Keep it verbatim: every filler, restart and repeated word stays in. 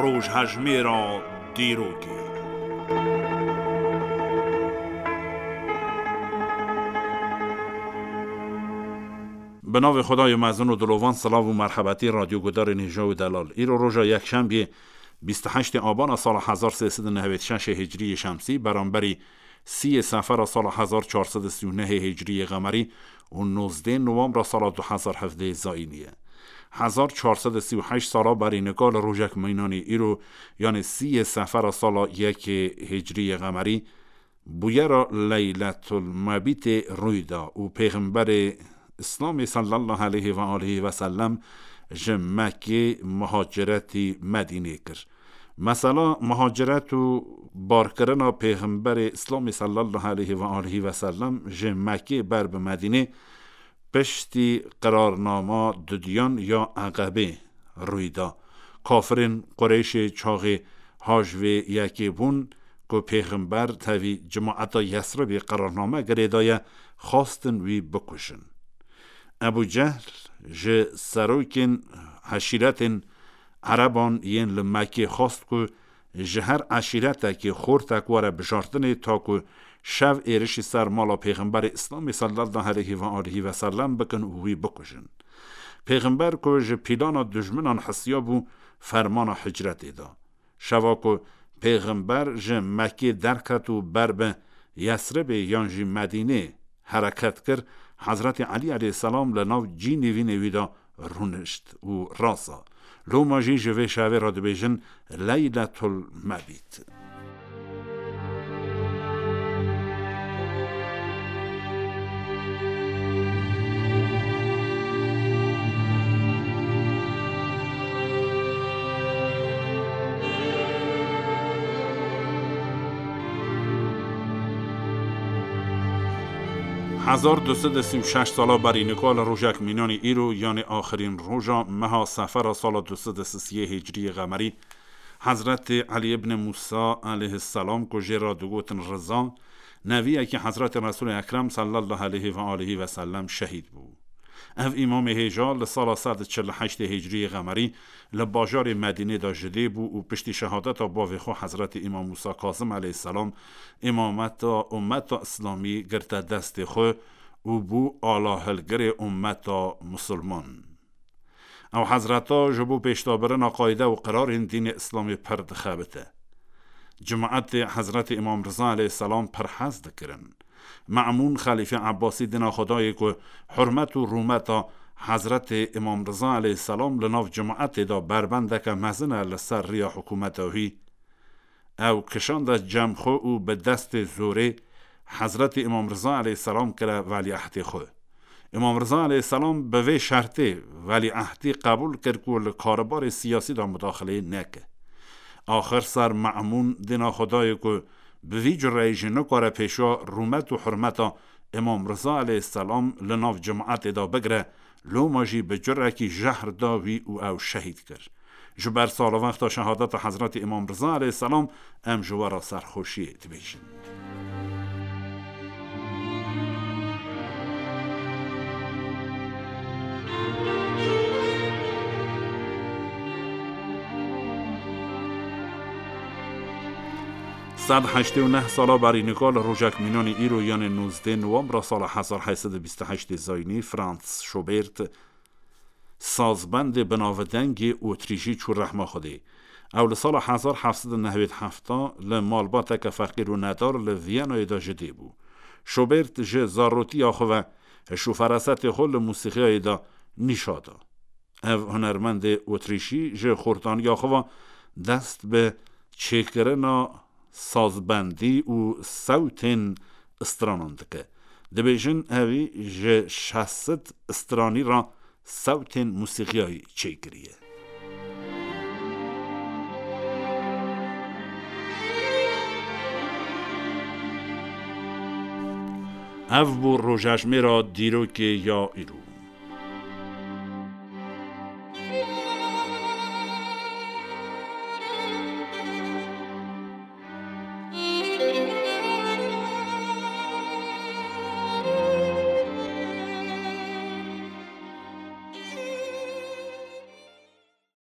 Rojhejmêra dîrokê. Bi navê Xwedayê mezin û dilovan, silav û merhebetî radyogudarên hêja û delal. Îro roja yekşembiyê, bîst û heştê abana sala hezar sê sed û nehwêd şeşê hicriyê şemsî, beramberî sîyê sefera sala hezar çar sed û sî û nehê hicriyê qemerî û nozdê nowembra sala du hezar hevdeh zayînî ye. Hezar çar sed û sî û heşt sala berî nika li rojek meynanê îro, yanê sîyê sefera sala yekê hicriyê qemerî, bûyera Leyletul Mebîtê rûy da û Pêxemberê Îslamê sallallahu aleyhi ve aleyhi ve sellem ji Mekkê muhaciretî Medînê kir. Mesela muhaciret û barkirina Pêxemberê Îslamê sallallahu aleyhi ve aleyhi ve sellem ji Mekkê ber bi Medînê piştî qirarnama dudiyan ya Eqebê rûy da. Kafirên Qureyşê çaxê haj vê yekê bûn ku Pêxember tevî cemaeta Yesribê qirarname girêdaye, xwestin wî bikujin. Ebû Cehl ji serokên eşîretên Ereban yên li Mekkê xwest ku ji her eşîretekê xortek were bijartinê, ta ku şev êrişî ser mala Pêxemberê Îslamê sallallahu aleyhi ve aleyhi ve sellem bikin û wî bikujin. Pêxember ku ji pîlana dijminan hesiya bû, fermana hicretê da. Şeva ku Pêxember ji Mekkê derket û ber bi Yesribê yan jî Medînê hereket kir, Hezretî Elî aleyhisselam li nav cî nîvînê wî de rûnişt û rasa. Loma jî ji vê şevê re dibêjin Leyletul Mebît. Hezar du sed û sî û şeş sala berî nika li rojek mînanî îro, yanê axirîn roja meha sefera sala du sed û sisiyê hicriyê qemerî, Hezretê Elî ibn Mûsa aleyhisselam ku jê re digotin Riza, neviyekî Hezretê Resûlê Ekrem sallallahu aleyhi ve aleyhi ve sellem şehîd bû. Ev îmamê hêja li sala sed û çil û heştê hicriyê qemerî li bajarê Medînê de ji dê bû û piştî şehadeta bavê xwe Hezretê Îmam Mûsa Kazim aleyhisselam îmameta ummeta Îslamî girte destê xwe û bû alahilgirê ummeta misilman. Ew hezreta ji bo pêşdabirina qayde û qirarên dînê Îslamê pir dixebite. Cemaetê Hezretê Îmam Riza aleyhisselam pir hez dikirin. Me'mûn Xelîfê Ebbasî dina Xwedayê ku hurmet û rûmeta Hezretê Îmam Riza aleyhisselam li nav cemaetê de berbendeke mezin e li ser riya hikûmeta wî. Ew kişande cem xwe û bi destê zorê Hezretî Îmam Riza aleyhisselam kire velîehdê xwe. Îmam Riza aleyhisselam bi vê şertê velîehdî qebûl kir ku li karûbarê siyasî de mudaxileyê neke. Axir ser Me'mûn dina Xwedayê ku bi vî cureyî jî nikare pêşiya rûmet û hurmeta Îmam Riza aleyhisselam li nav cemaetê de bigire, loma jî bi curekî jehr da wî û ew şehîd kir. Ji ber salvexta şehadeta Hezretî Îmam Riza aleyhisselam em ji we re serxweşiyê dibêjin. Sed heştê û neh sala berî nika li rojek mînanî îro, yanê nozdeh nowembra sala hezar heyt sed û bîst û heştê zayînî, Franz Schubert, sazbendê binavdengê Otrîjî çû rehma Xwedê. Ew li sala hezar heft sed û nehwêd heft li malbateke feqîr û nedar li Viyanayê de ji dê bû. Schubert ji zarotiya xwe ve hiş û ferasetê xwe li mûsîqiyayê de nîşa da. Ev hunermendê Otrîşî ji xortaniya xwe ve dest bi çêkirina sazbendî û sewtên stranan dike. Dibêjin evî ji şeş sed stranî re sewtên mûsîqiyayî çêkiriye. Ev bû rojejmêra dîrokê ya îro.